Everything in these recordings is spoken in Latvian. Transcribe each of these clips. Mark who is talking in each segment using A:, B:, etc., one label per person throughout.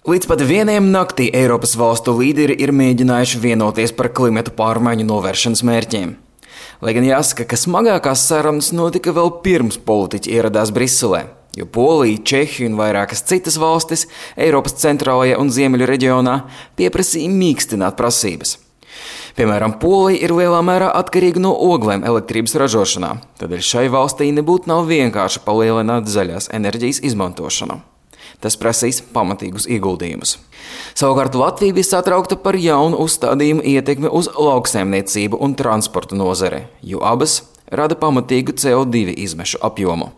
A: Līdz pat 1 naktī Eiropas valstu līderi ir mēģinājuši vienoties par klimatu pārmaiņu novēršanas mērķiem. Lai gan jāsaka, ka smagākās sarunas notika vēl pirms politiķi ieradās Briselē, jo Polija, Čehija un vairākas citas valstis Eiropas centrālajā un ziemeļu reģionā pieprasīja mīkstināt prasības. Piemēram, Polija ir lielā mērā atkarīga no oglēm elektrības ražošanā, tādēļ šai valstī nebūtu nav vienkārši palielināt zaļās enerģijas izmantošanu. Tas prasīs pamatīgus ieguldījumus. Savukārt Latvija bija satraukta par jaunu uzstādījumu ietekmi uz lauksaimniecību un transportu nozare, jo abas rada pamatīgu CO2 izmešu apjomu.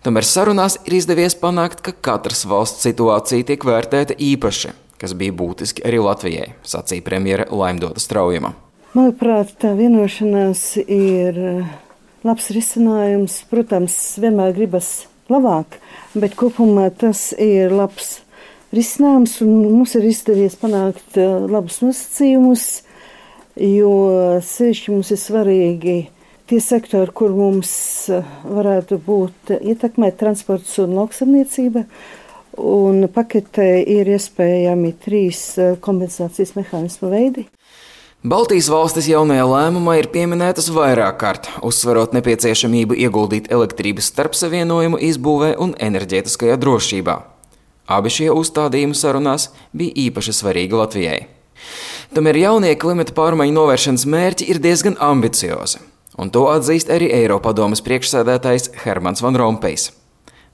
A: Tomēr sarunās ir izdevies panākt, ka katras valsts situācija tiek vērtēta īpaši, kas bija būtiski arī Latvijai, sacīja premjere Laimdota Straujuma.
B: Manuprāt, tā vienošanās ir labs risinājums. Protams, vienmēr gribas labāk, bet kopumā tas ir labs risinājums un mums ir izdevies panākt labus nosacījumus, jo sevišķi mums ir svarīgi tie sektori, kur mums varētu būt ietekmēt transports un lauksaimniecība, un paketē ir iespējami 3 kompensācijas mehānismu veidi.
A: Baltijas valstis jaunajā lēmumā ir pieminētas vairāk kārt, uzsverot nepieciešamību ieguldīt elektrības starpsavienojumu izbūvē un enerģētiskajā drošībā. Abi šie uzstādījumi sarunās bija īpaši svarīgi Latvijai. Tomēr jaunie klimata pārmaiņu novēršanas mērķi ir diezgan ambiciozi, un to atzīst arī Eiropadomes priekšsēdētājs Hermans Van Rompējs.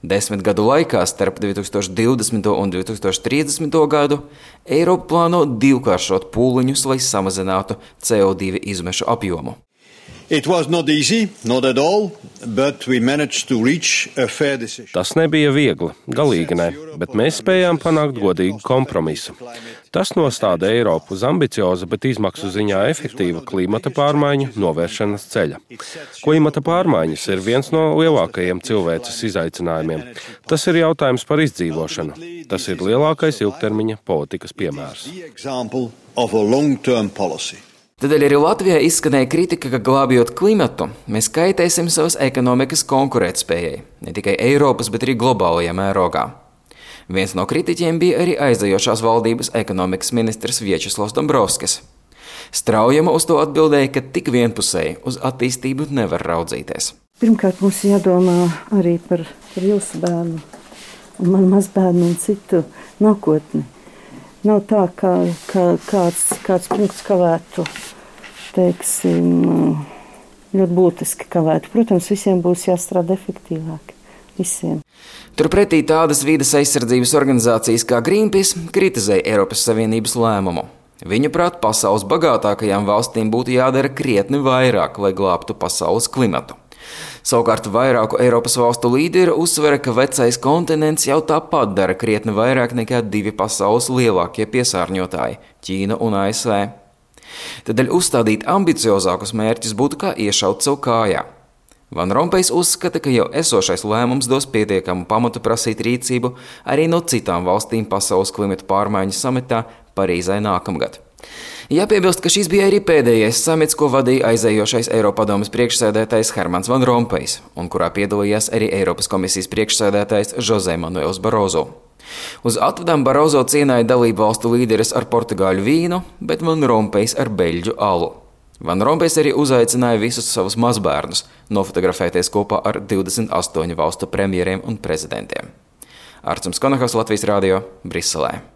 A: 10 gadu laikā starp 2020. un 2030. gadu Eiropa plāno divkāršot pūliņus, lai samazinātu CO2 izmešu apjomu.
C: Tas nebija viegli, galīgi ne, bet mēs spējām panākt godīgu kompromisu. Tas nostāda Eiropu uz ambicioza, bet izmaksu ziņā efektīva klimata pārmaiņu novēršanas ceļa. Klimata pārmaiņas ir viens no lielākajiem cilvēces izaicinājumiem. Tas ir jautājums par izdzīvošanu. Tas ir lielākais ilgtermiņa politikas piemērs.
A: Tādēļ arī Latvijā izskanēja kritika, ka glābjot klimatu, mēs kaitēsim savas ekonomikas konkurētspējai, ne tikai Eiropas, bet arī globālajā mērogā. Viens no kritiķiem bija arī aizejošās valdības ekonomikas ministrs Viečeslavs Dombrovskis. Straujuma uz to atbildēja, ka tik vienpusēji uz attīstību nevar raudzīties.
B: Pirmkārt, mums jādomā arī par jūsu bērnu, un man mazbērnu un citu nākotni. Nav tā, ka kāds punkts kavētu, teiksim, ļoti būtiski kavētu. Protams, visiem būs jāstrādā efektīvāk. Visiem.
A: Turpretī tādas vides aizsardzības organizācijas kā Greenpeace kritizēja Eiropas Savienības lēmumu. Viņuprāt, pasaules bagātākajām valstīm būtu jādara krietni vairāk, lai glābtu pasaules klimatu. Savukārt vairāku Eiropas valstu līderi uzsvera, ka vecais kontinents jau tāpat dara krietni vairāk nekā 2 pasaules lielākie piesārņotāji – Ķīna un ASV. Tādēļ uzstādīt ambiciozākus mērķus būtu kā iešaut sev kājā. Van Rompējs uzskata, ka jau esošais lēmums dos pietiekamu pamatu prasīt rīcību arī no citām valstīm pasaules klimata pārmaiņu samitā Parīzē nākamgad. Jāpiebilst, ka šis bija arī pēdējais samits, ko vadīja aizējošais Eiropadomes priekšsēdētājs Hermans Van Rompējs, un kurā piedalījās arī Eiropas komisijas priekšsēdētājs José Manuels Barozo. Uz atvadām Barozo cienāja dalību valstu līderis ar portugāļu vīnu, bet Van Rompējs ar beļģu alu. Van Rompējs arī uzaicināja visus savus mazbērnus nofotografēties kopā ar 28 valstu premjeriem un prezidentiem. Arturs Konahovs, Latvijas radio, Briselē.